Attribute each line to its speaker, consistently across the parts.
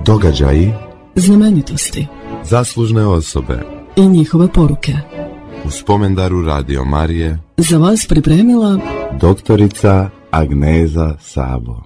Speaker 1: Događaji,
Speaker 2: znamenitosti,
Speaker 1: zaslužne osobe
Speaker 2: i njihove poruke.
Speaker 1: U spomendaru Radio Marije
Speaker 2: Za vas pripremila
Speaker 1: doktorica Agneza Sabo.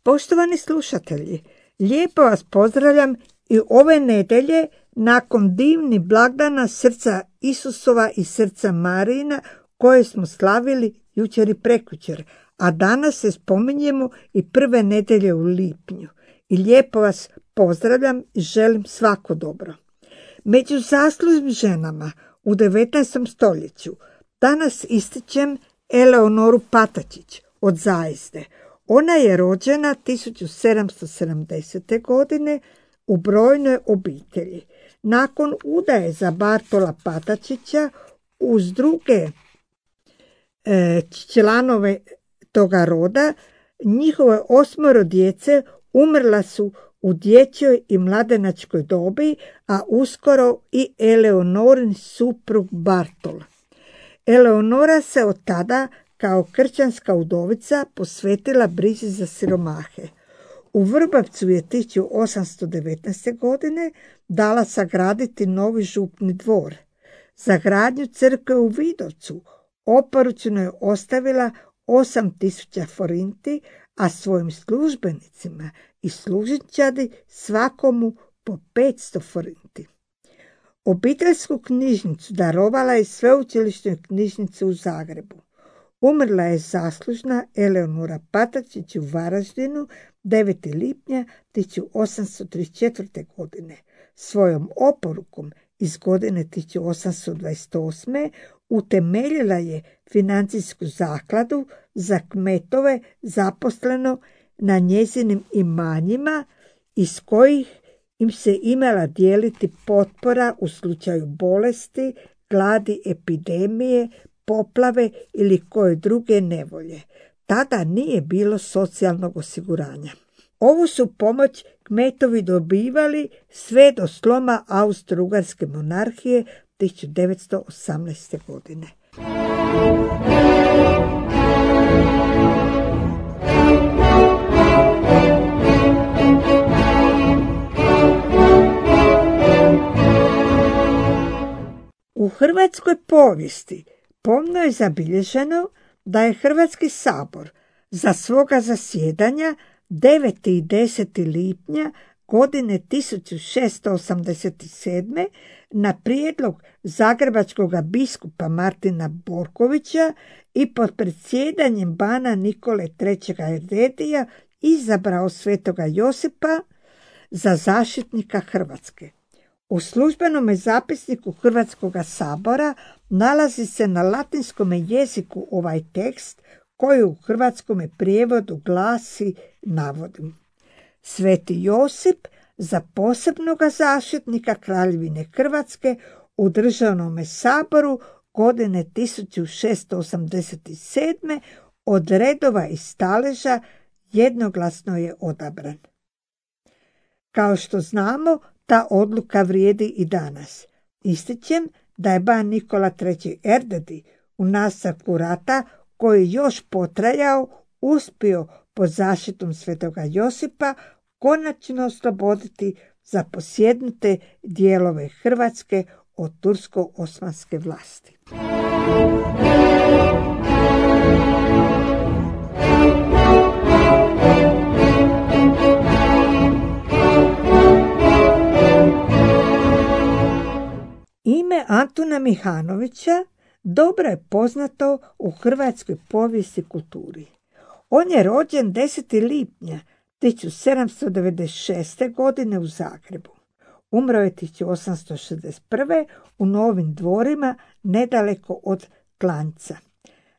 Speaker 3: Poštovani slušatelji, lijepo vas pozdravljam i ove nedelje nakon divnih blagdana srca Isusova i srca Marijina koje smo slavili jučer i prekjučer, a danas se spominjemo i prve nedelje u lipnju. I lijepo vas pozdravljam i želim svako dobro. Među zaslužnim ženama u 19. stoljeću danas ističem Eleonoru Patačić od Zajezde. Ona je rođena 1770. godine u brojnoj obitelji. Nakon udaje za Bartola Patačića uz druge članove toga roda, njihove 8 djece umrla su u dječjoj i mladenačkoj dobi, a uskoro i Eleonorin suprug Bartol. Eleonora se od tada kao kršćanska udovica posvetila brizi za siromahe. U Vrbavcu je 1819. godine dala sagraditi novi župni dvor. Za gradnju crkve u Vidovcu oporučeno je ostavila 8.000 forinti, a svojim službenicima i služinčadi svakomu po 500 forinti. Obiteljsku knjižnicu darovala je sveučilišnoj knjižnici u Zagrebu. Umrla je zaslužna Eleonora Patačić u Varaždinu 9. lipnja 1834. godine. Svojom oporukom iz godine 1828. utemeljila je financijsku zakladu za kmetove zaposleno na njezinim imanjima, iz kojih im se imala dijeliti potpora u slučaju bolesti, gladi, epidemije, poplave ili koje druge nevolje. Tada nije bilo socijalnog osiguranja. Ovu su pomoć kmetovi dobivali sve do sloma Austro-Ugarske monarhije 1918. godine. U hrvatskoj povijesti pomno je zabilježeno da je Hrvatski sabor za svoga zasjedanja 9. i 10. lipnja godine 1687. na prijedlog zagrebačkog biskupa Martina Borkovića i pod predsjedanjem bana Nikole III. Erdedija izabrao svetoga Josipa za zaštitnika Hrvatske. U službenom zapisniku Hrvatskog sabora nalazi se na latinskom jeziku ovaj tekst koji u hrvatskom prijevodu glasi, navodim: Sveti Josip za posebnoga zaštitnika Kraljevine Hrvatske u državnom saboru godine 1687. od redova i staleža jednoglasno je odabran. Kao što znamo, ta odluka vrijedi i danas. Ističem da je ban Nikola III. Erdedi u nastavku rata, koji još potrajao, uspio pod zaštitom svetoga Josipa konačno osloboditi zaposjednute dijelove Hrvatske od tursko-osmanske vlasti. Ime Antuna Mihanovića dobro je poznato u hrvatskoj povijesti i kulturi. On je rođen 10. lipnja 1796. godine u Zagrebu. Umro je 1861. u Novim Dvorima, nedaleko od Klanjca.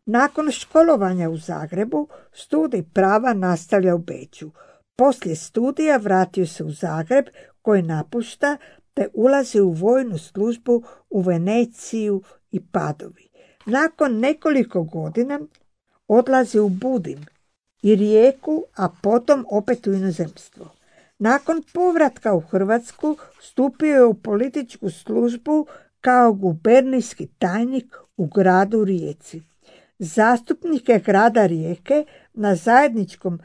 Speaker 3: Nakon školovanja u Zagrebu, studij prava nastavlja u Beču. Poslije studija vratio se u Zagreb, koji napušta te ulazi u vojnu službu u Veneciju i Padovi. Nakon nekoliko godina odlazi u Budim i Rijeku, a potom opet u inozemstvo. Nakon povratka u Hrvatsku stupio je u političku službu kao gubernijski tajnik u gradu Rijeci. Zastupnik je grada Rijeke na zajedničkom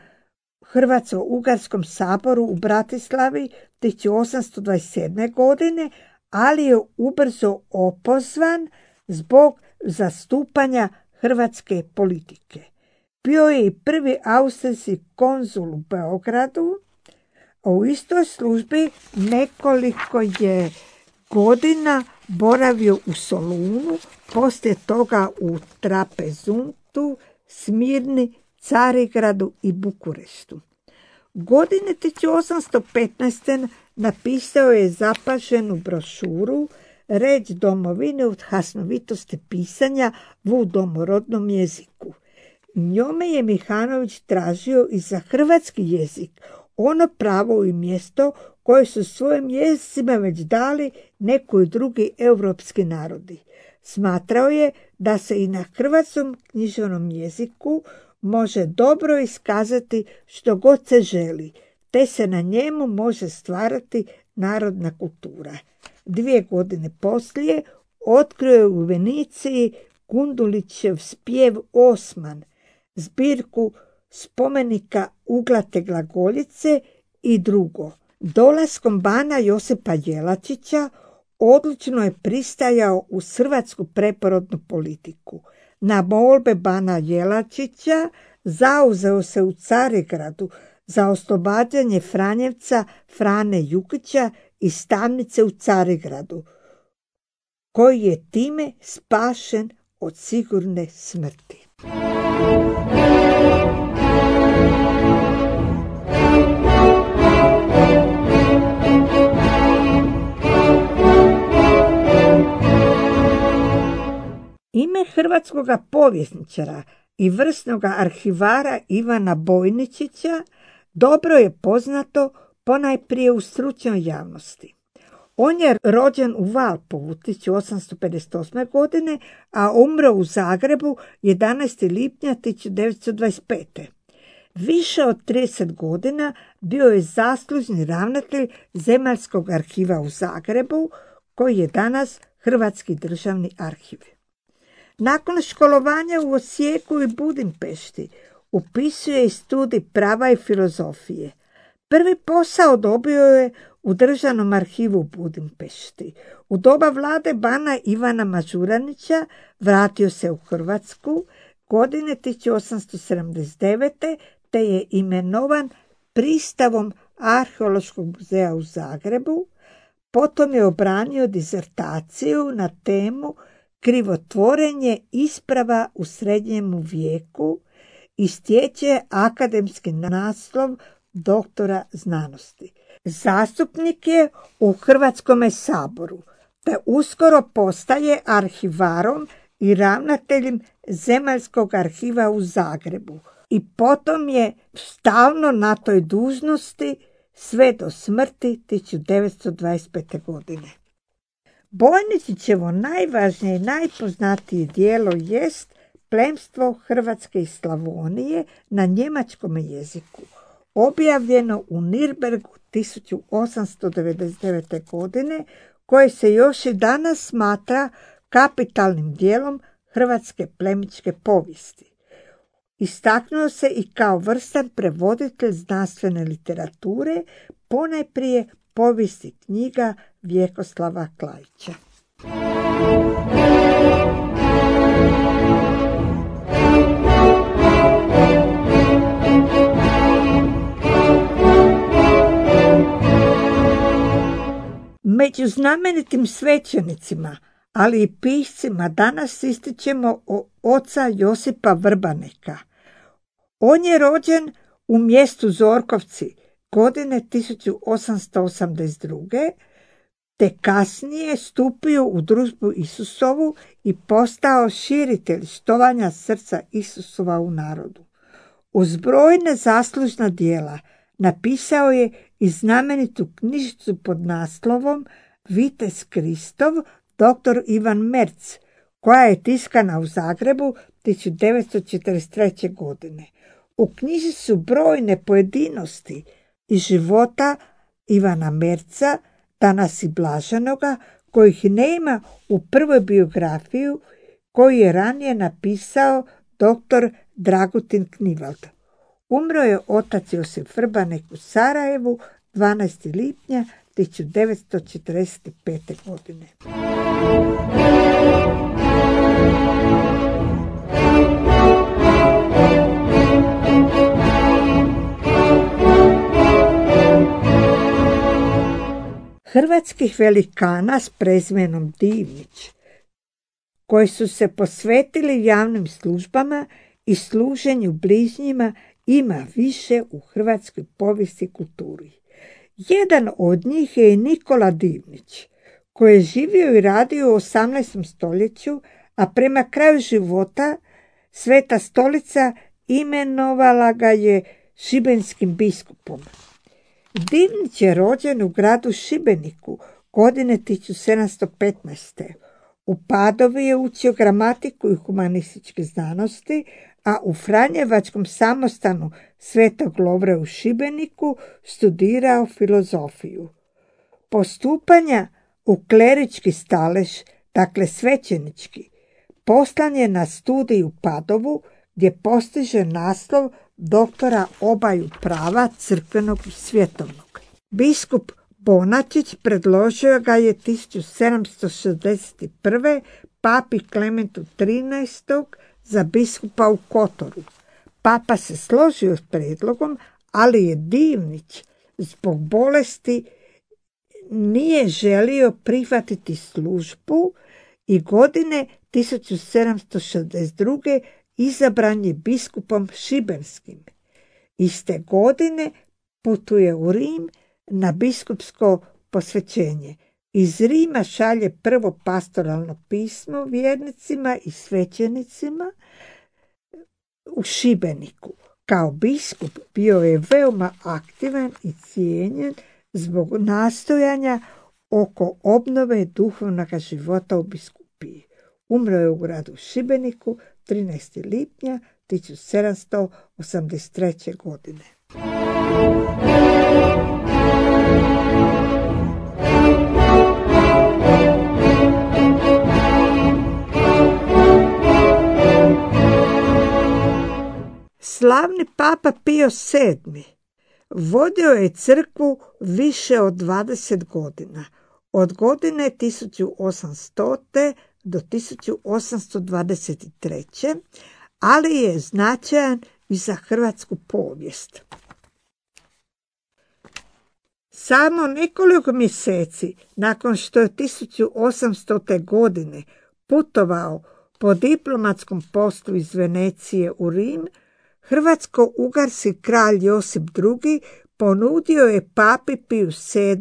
Speaker 3: Hrvatsko-Ugarskom saboru u Bratislavi 1827. godine, ali je ubrzo opozvan zbog zastupanja hrvatske politike. Bio je i prvi austrijski konzul u Beogradu, a u istoj službi nekoliko je godina boravio u Solunu, poslije toga u Trapezuntu, Smirni, Carigradu i Bukureštu. Godine 1815. napisao je zapaženu brošuru Reč domovine od hasnovitosti pisanja u domorodnom jeziku. Njome je Mihanović tražio i za hrvatski jezik ono pravo i mjesto koje su svojim jezicima već dali neki drugi europski narodi. Smatrao je da se i na hrvatskom književnom jeziku može dobro iskazati što god se želi, te se na njemu može stvarati narodna kultura. 2 godine poslije otkrio je u Veniciji Gundulićev spjev Osman, zbirku spomenika Uglate glagoljice i drugo. Dolaskom bana Josipa Jelačića odlučno je pristajao u hrvatsku preporodnu politiku. Na molbe bana Jelačića zauzeo se u Carigradu za oslobađanje Franjevca Frane Jukića iz tamnice u Carigradu, koji je time spašen od sigurne smrti. Ime hrvatskog povjesničara i vrsnog arhivara Ivana Bojničića dobro je poznato ponajprije u stručnoj javnosti. On je rođen u Valpovu 1858. godine, a umro u Zagrebu 11. lipnja 1925. Više od 30 godina bio je zaslužni ravnatelj Zemaljskog arhiva u Zagrebu, koji je danas Hrvatski državni arhiv. Nakon školovanja u Osijeku i Budimpešti upisuje i studij prava i filozofije. Prvi posao dobio je u Državnom arhivu u Budimpešti. U doba vlade bana Ivana Mažuranića vratio se u Hrvatsku godine 1879. te je imenovan pristavom Arheološkog muzeja u Zagrebu. Potom je obranio disertaciju na temu Krivotvorenje isprava u srednjemu vijeku i stječe akademski naslov doktora znanosti. Zastupnik je u Hrvatskome saboru, te uskoro postaje arhivarom i ravnateljem Zemaljskog arhiva u Zagrebu i potom je stalno na toj dužnosti sve do smrti 1925. godine. Bojničićevo najvažnije i najpoznatije djelo jest Plemstvo Hrvatske i Slavonije na njemačkom jeziku, objavljeno u Nirnbergu 1899. godine, koje se još i danas smatra kapitalnim dijelom hrvatske plemićke povijesti. Istaknuo se i kao vrstan prevoditelj znanstvene literature, ponajprije povijesti knjiga Vjekoslava Klaića. Među znamenitim svećenicima, ali i piscima danas ističemo oca Josipa Vrbaneka. On je rođen u mjestu Zorkovci godine 1882. te kasnije stupio u družbu Isusovu i postao širitelj štovanja srca Isusova u narodu. Uz brojne zaslužna djela napisao je i znamenitu knjižicu pod naslovom Vitez Kristov, dr. Ivan Merc, koja je tiskana u Zagrebu 1943. godine. U knjizi su brojne pojedinosti iz života Ivana Merca, danas i blaženoga, kojih nema u prvoj biografiju koju je ranije napisao dr. Dragutin Knivald. Umro je otac Josip Vrbanek u Sarajevu 12. lipnja 1945. godine. Hrvatskih velikana s prezimenom Divnić, koji su se posvetili javnim službama i služenju bližnjima, ima više u hrvatskoj povijesti i kulturi. Jedan od njih je i Nikola Divnić, koji je živio i radio u 18. stoljeću, a prema kraju života Sveta Stolica imenovala ga je šibenskim biskupom. Divnić je rođen u gradu Šibeniku godine 1715. U Padovi je učio gramatiku i humanističke znanosti, a u Franjevačkom samostanu Svetog Lovre u Šibeniku studirao filozofiju. Postupanja u klerički stalež, dakle svećenički, poslan je na studij u Padovu, gdje postiže naslov doktora obaju prava crkvenog i svjetovnog. Biskup Bonačić predložio ga je 1761. papi Klementu XIII. Za biskupa u Kotoru. Papa se složio s prijedlogom, ali je Divnić zbog bolesti nije želio prihvatiti službu i godine 1762. izabran je biskupom šibenskim. Iste godine putuje u Rim na biskupsko posvećenje. Iz Rima šalje prvo pastoralno pismo vjernicima i svećenicima u Šibeniku. Kao biskup bio je veoma aktivan i cijenjen zbog nastojanja oko obnove duhovnog života u biskupiji. Umro je u gradu Šibeniku 13. lipnja 1783. godine. Slavni papa Pio VII. vodio je crkvu više od 20 godina, od godine 1800. do 1823. ali je značajan i za hrvatsku povijest. Samo nekoliko mjeseci nakon što je 1800. godine putovao po diplomatskom poslu iz Venecije u Rim, hrvatsko-ugarski kralj Josip II. Ponudio je papi Piju VII.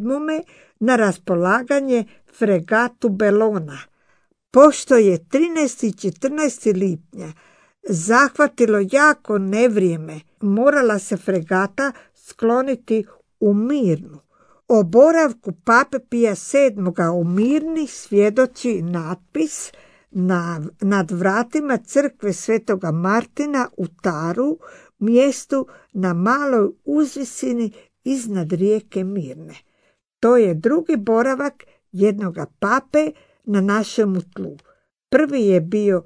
Speaker 3: Na raspolaganje fregatu Bellona. Pošto je 13. i 14. lipnja zahvatilo jako nevrijeme, morala se fregata skloniti u Mirnu. O boravku pape Pija VII. U Mirni svjedoči natpis nad vratima crkve Svetoga Martina u Taru, mjestu na maloj uzvisini iznad rijeke Mirne. To je drugi boravak jednoga pape na našemu tlu. Prvi je bio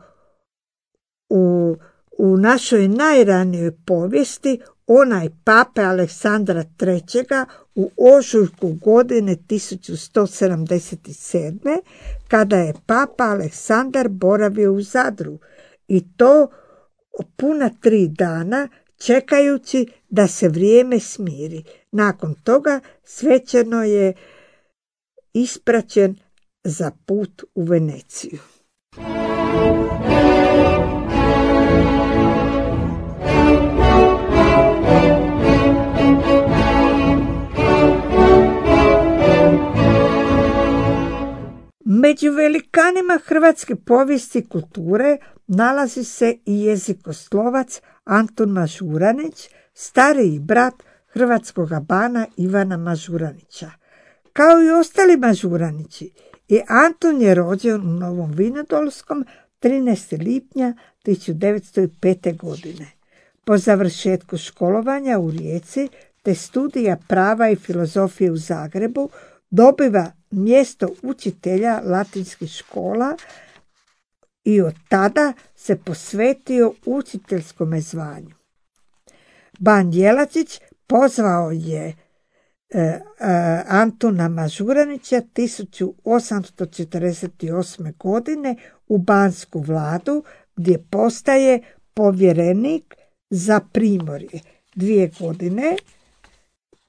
Speaker 3: u našoj najranijoj povijesti onaj pape Aleksandra III. U ožujku godine 1177. kada je papa Aleksandar boravio u Zadru i to puna 3 dana čekajući da se vrijeme smiri. Nakon toga svečano je ispraćen za put u Veneciju. Među velikanima hrvatske povijesti i kulture nalazi se i jezikoslovac Antun Mažuranić, stariji brat hrvatskoga bana Ivana Mažuranića. Kao i ostali Mažuranići, i Antun je rođen u Novom Vinodolskom 13. lipnja 1905. godine. Po završetku školovanja u Rijeci te studija prava i filozofije u Zagrebu dobiva mjesto učitelja latinskih škola i od tada se posvetio učiteljskom zvanju. Ban Jelačić pozvao je Antuna Mažuranića 1848. godine u Bansku vladu, gdje postaje povjerenik za Primorje. 2 godine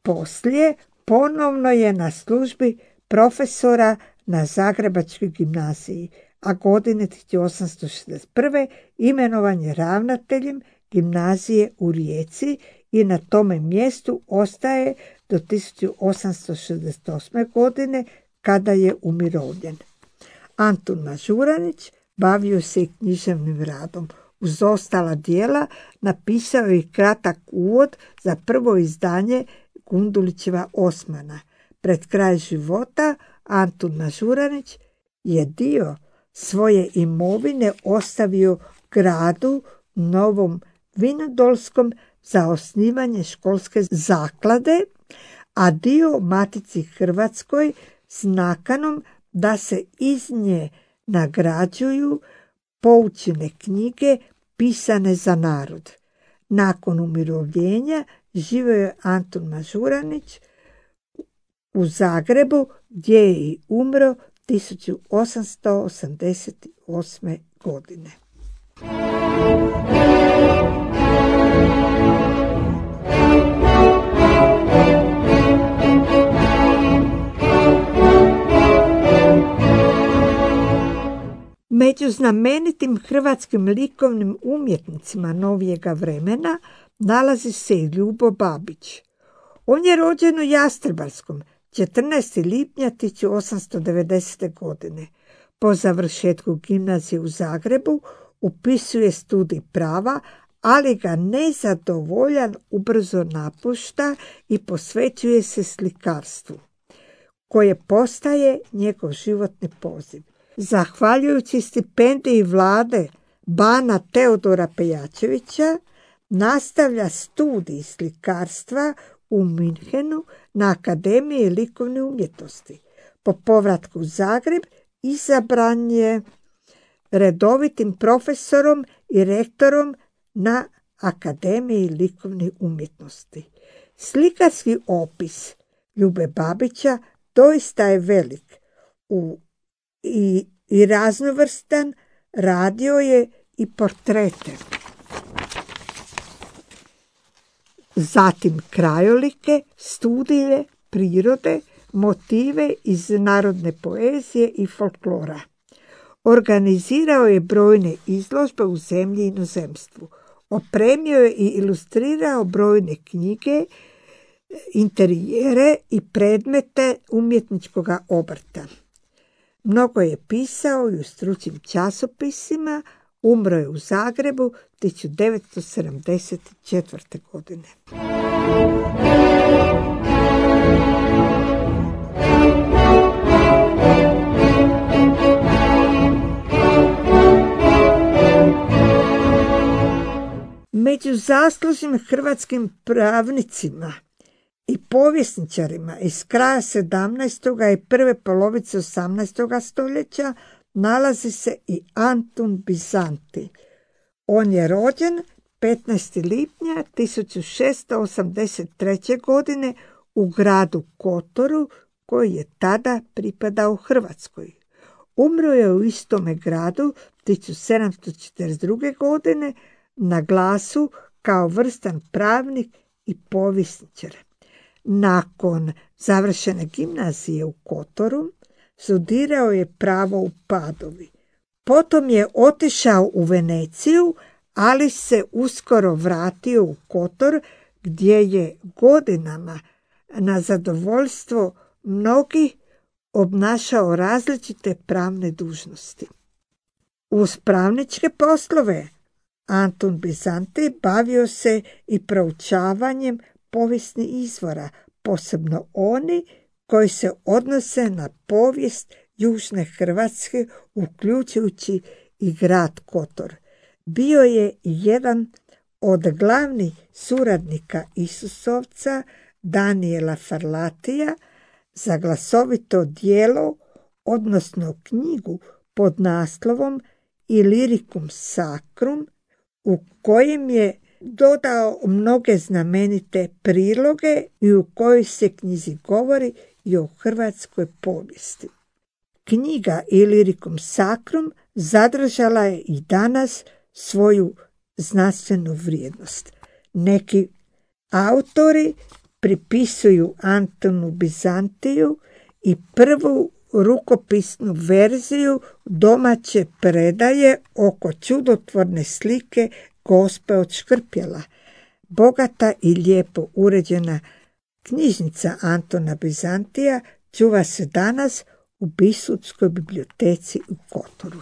Speaker 3: poslije ponovno je na službi profesora na Zagrebačkoj gimnaziji, a godine 1861. imenovan je ravnateljem gimnazije u Rijeci i na tome mjestu ostaje do 1868. godine kada je umirovljen. Antun Mažuranić bavio se i književnim radom. Uz ostala djela napisao je i kratak uvod za prvo izdanje Gundulićeva Osmana. Pred kraj života Antun Mažuranić je dio svoje imovine ostavio gradu Novom Vinodolskom za osnivanje školske zaklade, a dio Matici Hrvatskoj s nakanom da se iz nje nagrađuju poučene knjige pisane za narod. Nakon umirovljenja živio je Antun Mažuranić u Zagrebu, gdje je i umro 1888. godine. Među znamenitim hrvatskim likovnim umjetnicima novijega vremena nalazi se i Ljubo Babić. On je rođen u Jastrebarskom 14. lipnja 1890. godine. Po završetku gimnazije u Zagrebu upisuje studij prava, ali ga nezadovoljan ubrzo napušta i posvećuje se slikarstvu, koje postaje njegov životni poziv. Zahvaljujući stipendiji vlade bana Teodora Pejačevića, nastavlja studij slikarstva u Minhenu na Akademiji likovne umjetnosti. Po povratku u Zagreb izabran je redovitim profesorom i rektorom na Akademiji likovne umjetnosti. Slikarski opis Ljube Babića doista je velik i raznovrstan. Radio je i portrete, zatim krajolike, studije prirode, motive iz narodne poezije i folklora. Organizirao je brojne izložbe u zemlji i inozemstvu. Opremio je i ilustrirao brojne knjige, interijere i predmete umjetničkog obrta. Mnogo je pisao i u stručnim časopisima. Umro je u Zagrebu 1974. godine. Među zaslužnim hrvatskim pravnicima i povjesničarima iz kraja 17. i prve polovice 18. stoljeća nalazi se i Antun Bizanti. On je rođen 15. lipnja 1683. godine u gradu Kotoru, koji je tada pripadao Hrvatskoj. Umro je u istome gradu 1742. godine na glasu kao vrstan pravnik i povjesničar. Nakon završene gimnazije u Kotoru, studirao je pravo u Padovi. Potom je otišao u Veneciju, ali se uskoro vratio u Kotor, gdje je godinama na zadovoljstvo mnogih obnašao različite pravne dužnosti. Uz pravničke poslove Antun Bizanti bavio se i proučavanjem povijesnih izvora, posebno oni koji se odnose na povijest južne Hrvatske, uključujući i grad Kotor. Bio je jedan od glavnih suradnika Isusovca, Daniela Farlatija, za glasovito djelo, odnosno knjigu pod naslovom Illyricum Sacrum, u kojem je dodao mnoge znamenite priloge i u kojoj se knjizi govori i o hrvatskoj povijesti. Knjiga Illyricum Sacrum zadržala je i danas svoju znanstvenu vrijednost. Neki autori pripisuju Antonu Bizantiju i prvu rukopisnu verziju domaće predaje oko čudotvorne slike Gospe od Škrpjela. Bogata i lijepo uređena knjižnica Antona Bizantija čuva se danas u Biskupskoj biblioteci u Kotoru.